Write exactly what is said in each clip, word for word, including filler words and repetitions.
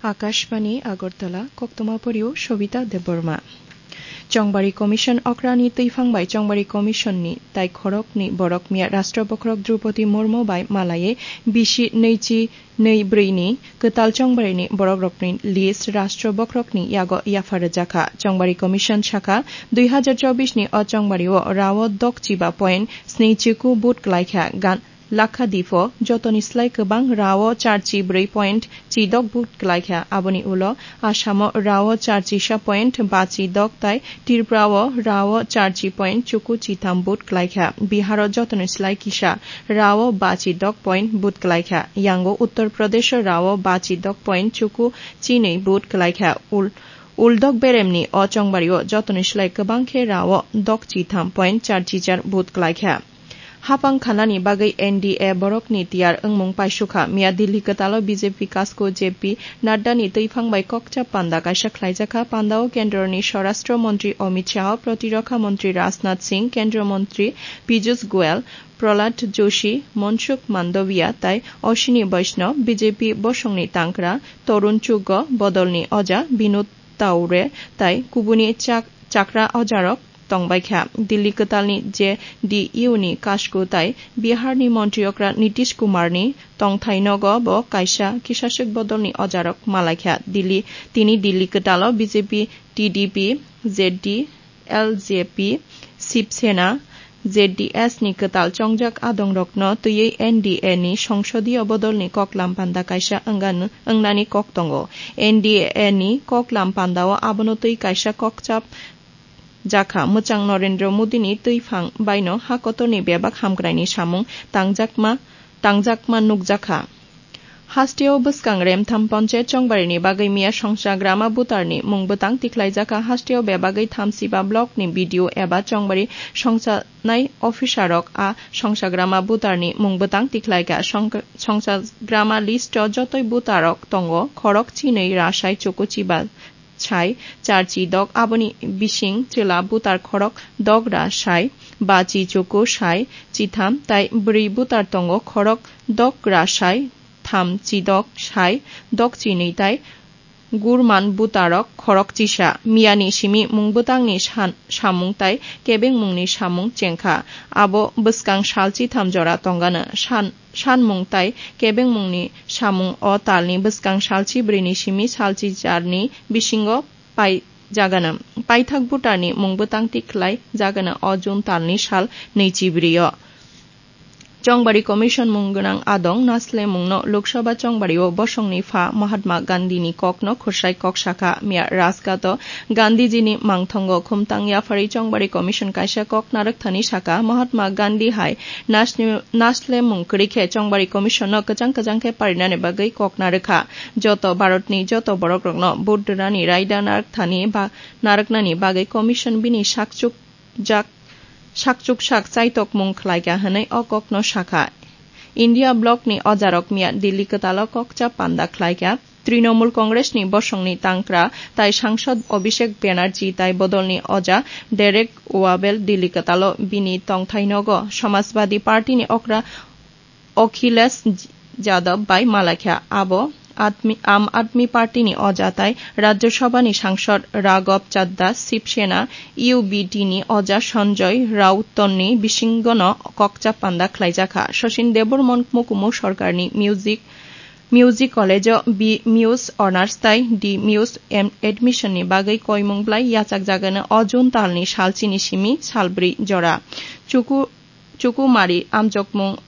Akashbani Agartala, koktoma porio Shobita Debbarma. Chongbari Commission okrani twiphang bai Chongbari Commission ni tai khorokni borok miya Rashtra Bokhorok Droupadi Murmu bai malaye bisi neichi nei brwi ni kwtal Chongbari ni borok rokni list Rashtra Bokhorok ni yago yapha rwjakha. Chongbari Commission sakha, dui hazar chobbish ni o Chongbari o rao dok chiba point sni chiku vote klaikha. Gan Lakha Dipho jotoni slai kwbang rao charchi brwi point chidok vote klaikha. Aboni ulo Assamo rao charchisa point bachi dok tai Tripurao rao charchi point chuku chitham vote klaikha. Biharo jotoni slai kisa rao bachi dok point vote klaikha. Yango Uttar Pradesho rao bachi dok point chuku chinwi vote klaikha. Ul-, uldok beremni o Chongbario jotoni slai kwbang khe rao dok chitham point charchi char vote klaikha. Hapang khanani bagwi N D A borokni tiyar wngmung paisukha. Miya Delhi kwtalo B J P kasku J P Nadda ni twiphang bai kokcha panda kaisa khlaijakha. Pandao kendroni Swarashtra Montri Amit Shah, Protirokha Montri Rajnath Singh, Kendra Montri Piyush Goyal, Prahlad Joshi, Mansukh Mandaviya tai Ashwini Vaishnaw, B J P bosongni tangkra Tarun Chugga, bodolni oja Binod Taure tai kubuni chak-, chakra ojarok tongbaikha. Delhi kwtalni J D U ni kasku tai Biharni montri okra Nitish Kumarni tongthai nogo bo kaisa kisaswk bodolni ojarok malaikha. Delhi, tini Delhi kwtalo B J P, T D P, Z D, L J P, Shiv Sena, Z D S ni kwtal chongjak adongrokno twiwi N D A ni songsodiyo bodolni koklam panda kaisa wngani, wngnani kok tongo. N D A ni koklam pandao abono twi kaisa kokchap jakha. Mwchang Narendra Modi ni twiphang baino ha kotorni bebak hamkraini samung tangjakma, tangjakma nukjakha. Hasteo bwskang remtham ponchayat chongbarini bagwi miya songcha grama butarni mung bwtang tikhlaijakha. Hasteo bebagwi thamsiba block ni B D O eba chongbari songchanai officer rok a songcha grama butarni mung bwtang tikhlaikha. Song-, songcha grama list o jotoi butarok tongo, khorok chinwi rasai chuku chiba sai charchi dok, aboni bising chwla butar khorok dok ra sai, bachi chuku sai chitham tai bwrwi butar tongo, khorok dok ra sai tham chi dok sai dok chi nwi tai gurman butarok khorok chisa. Miyani simi mung bwtangni san-, samung tai kebengmungni samung chengkha. Abo bwskang sal chitham jora tongano. San-, sanmung tai kebengmungni samung o talni bwskang salchi brwini simi salchi charni bisingo pai jagano. Paithak butarni mung bwtang tikhlai jagano o June talni sal nwichi brio. Chongbari Commission mung gwnang adong naslemungno Lok Sabha chongbario bosongni pha Mahatma Gandhi ni kokno khwrsai kok sakha. Miya Rajghat o Gandhiji ni mangthongo khumtang yapharwi Chongbari Commission kaisa kok narwkthani sakha, Mahatma Gandhi hai nasni-, naslemung kwrwi khe Chongbari Commission no kwchang kwchang khe parinani bagwi kok narwkha. Joto Bharat ni joto borok rokno vote rwnani raida narwkthani ba narwknani bagwi Commission bini sakchuk jak, sakchuk sak chaitokmung khlaikha hwnwi o kokno sakha. India bloc ni ojarok miya Delhi kwtalo kokcha panda khlaikha. Trinamool Congress ni bosongni tangkra tai sangsod Abhishek Banerjee tai bodolni oja Derek Wabel Delhi kwtalo bini tongthai nogo Samajwadi Party ni okra Akhilesh Yadav bai malaikha. Abo Admi, Aam Aadmi Party ni oja tai Rajya Sabha ni sangsod Raghav Chadha, Shiv Sena, U B T ni oja Sanjay Raut ni bisingono kokcha panda khlaijakha. Sachin Debbarma mukumu sorkarni music, music college o B Mus Honours tai D Mus em-, admission ni bagwi koimung blai yachakjagano o June talni salchini simi salbrwi jora. Chuku-, chukumari amjokmung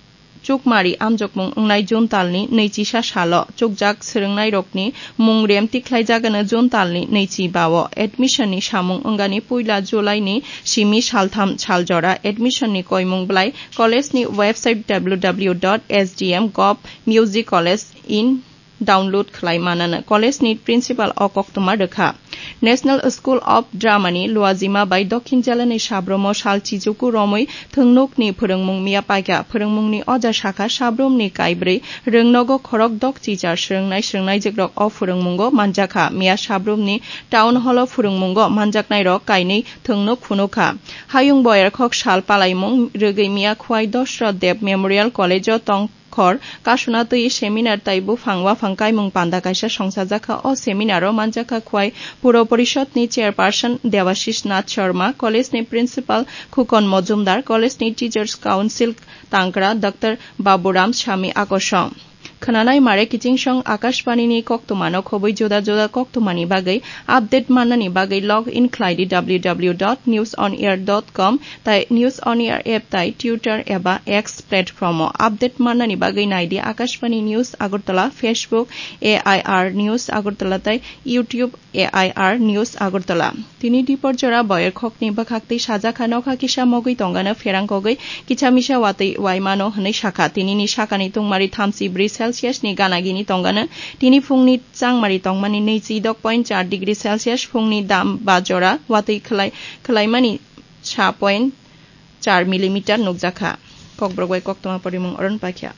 Chukmari amjokmung wngnai June talni nwichisa salo chukjak swrwngnairokni mung rem tikhlaijagano June talni nwichi bao. Admission ni samung wngani puila July ni simi saltham saljora. Admission ni koimung blai college ni website W W W dot S D M gov music college in download khlai manano. College ni principal o koktwma rwkha. National School of Drama ni Luajima bai Dokhin Jela ni Sabromo sal chijuku romwi thwngnuk ni phwrwngmung miya paikha. Phwrwngmung ni oja sakha Sabrom ni kaibrwi rwngnogo khorok dok chichar swrwngnai swrwngnaijwk rok o phwrwngmungo manjakha. Miya Sabrom ni Town Hall o phwrwngmungo manjaknai rok kainwi thwngnuk phunukha. Hayung boyar khok sal palaimung rwgwi miya Khwai Dosra Deb Memorial College o tong Hor kasuna twi seminar tai buphang waphang kaimung panda kaisa songchajakha. O seminar o manjakha Khwai Puro Porishod ni chairperson Debashish Nath Sharma, college ni principal Khukon Mojumdar, college ni teachers council tangkra Doctor Baburam Sami Akosong. Khwnanai mare kiching song Akashbani ni koktwmano khobwi juda juda koktwmani bagwi update mannani bagwi log in khlai di w w w dot news on air dot com tai News on Air app tai Twitter eba X platform o. Update mannani bagwi nai di Akashbani News Agartala, Facebook A I R News Agartala tai YouTube A I R News Agartala. Tini dipor jora boyer khokni bwkhak twi sajak kha, nokha kisa mogwi tongano pherang kogwi kicha misa watwi waimano hwnwi sakha. Tinini sakani tungmari thamchi bri Celsius ni gana gini tongano. Tini phungni changmari tongmani nwichi dok point char degree Celsius, phungni dam ba jora watwi khwlai-, khwlaimani sa point char millimeter nukjakha. Kokborok bai koktwma porimung oron paikha.